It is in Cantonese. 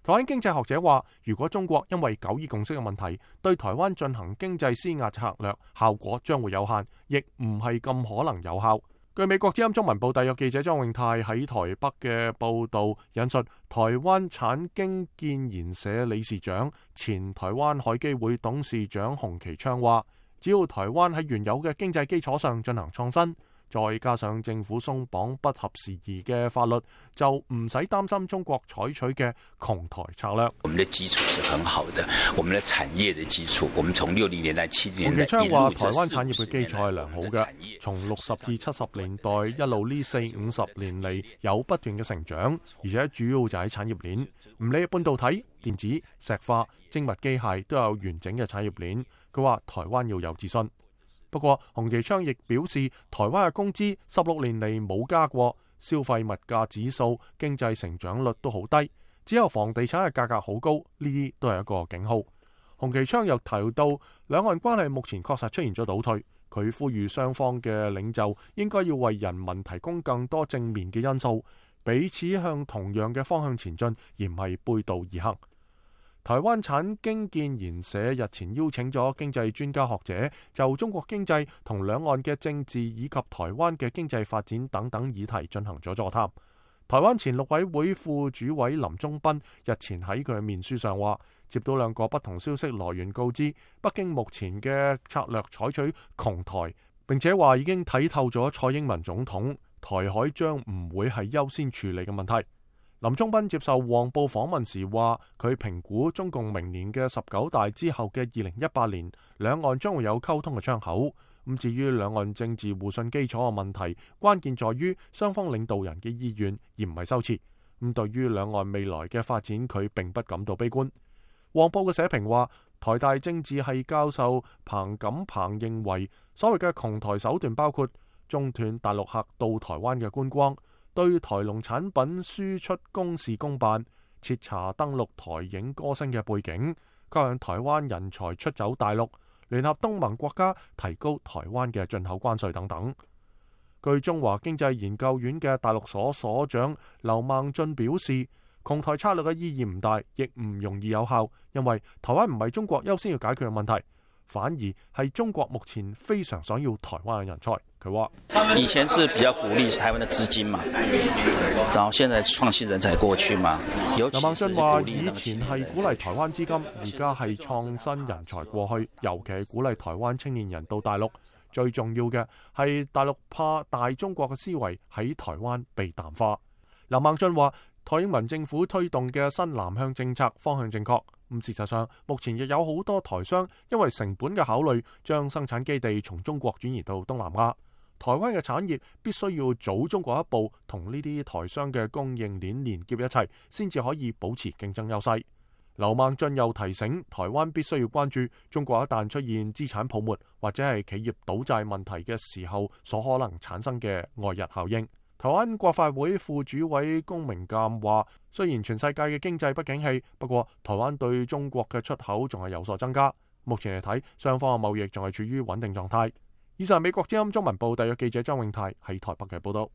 台灣經濟學者話，如果中國因為九二共識嘅問題對台灣進行經濟施壓策略，效果將會有限，亦唔係咁可能有效。據美國之音中文部特約記者莊永泰喺台北嘅報導引述，台灣產經建研社理事長、前台灣海基會董事長洪其昌話，只要台灣喺原有嘅經濟基礎上進行創新，再加上政府鬆綁不合時宜嘅法律，就唔使擔心中國採取嘅窮台策略。我們的基礎是很好的，我們的產業的基礎，我們從60年代、70年代。洪其昌話：台灣產業嘅基礎係良好嘅，從60至70年代一路呢40-50年嚟有不斷嘅成長，而且主要就喺產業鏈，唔理半導體、電子、石化、精密機械都有完整嘅產業鏈。佢話台灣要有自信。不過，洪其昌亦表示，台灣嘅工資16年嚟冇加過，消費物價指數、經濟成長率都好低，只有房地產嘅價格好高，呢啲都係一個警號。洪其昌又提到，兩岸關係目前確實出現咗倒退，佢呼籲雙方嘅領袖應該要為人民提供更多正面嘅因素，彼此向同樣嘅方向前進，而唔係背道而行。台灣產經建研社日前邀請咗經濟專家學者就中國經濟同兩岸嘅政治以及台灣嘅經濟發展等等議題進行咗座談。台灣前陸委會副主委林忠斌日前喺佢嘅面書上話，接到兩個不同消息來源告知，北京目前嘅策略採取窮台，並且話已經睇透咗蔡英文總統，台海將唔會係優先處理嘅問題。林忠斌接受黃報訪問時話，佢評估中共明年嘅19大之後嘅2018年，兩岸將會有溝通嘅窗口。咁至於兩岸政治互信基礎嘅問題，關鍵在於雙方領導人嘅意願，而唔係修辭。咁對於兩岸未來嘅發展，佢並不感到悲觀。黃報嘅社評話，台大政治系教授彭錦鵬認為，所謂嘅窮台手段包括中斷大陸客到台灣嘅觀光，對台農產品輸出公事公辦，徹查登錄台影歌星嘅背景，吸引台灣人才出走大陸，聯合東盟國家提高台灣嘅進口關稅等等。據中華經濟研究院嘅大陸所所長劉孟俊表示，窮台策略嘅意義唔大，亦唔容易有效，因為台灣唔係中國優先要解決嘅問題，反而係中國目前非常想要台灣嘅人才。佢話：以前是比較鼓勵台灣的資金嘛，然後現在創新人才過去嘛。劉孟俊話：以前係鼓勵台灣資金，而家係創新人才過去，尤其係鼓勵台灣青年人到大陸。最重要嘅係大陸怕大中國嘅思維喺台灣被淡化。劉孟俊話：蔡英文政府推動嘅新南向政策方向正確。事實上，目前亦有好多台商因為成本嘅考慮，將生產基地從中國轉移到東南亞。台灣嘅產業必須要早中國一步，同呢啲台商嘅供應鏈連結一齊，先至可以保持競爭優勢。劉孟俊又提醒，台灣必須要關注中國一旦出現資產泡沫或者係企業倒債問題嘅時候，所可能產生嘅外溢效應。台灣國發會副主委龔明鑑話，雖然全世界嘅經濟不景氣，不過台灣對中國嘅出口仲係有所增加。目前嚟睇，雙方嘅貿易仲係處於穩定狀態。以上係美國之音中文部特約記者張永泰喺台北嘅報道。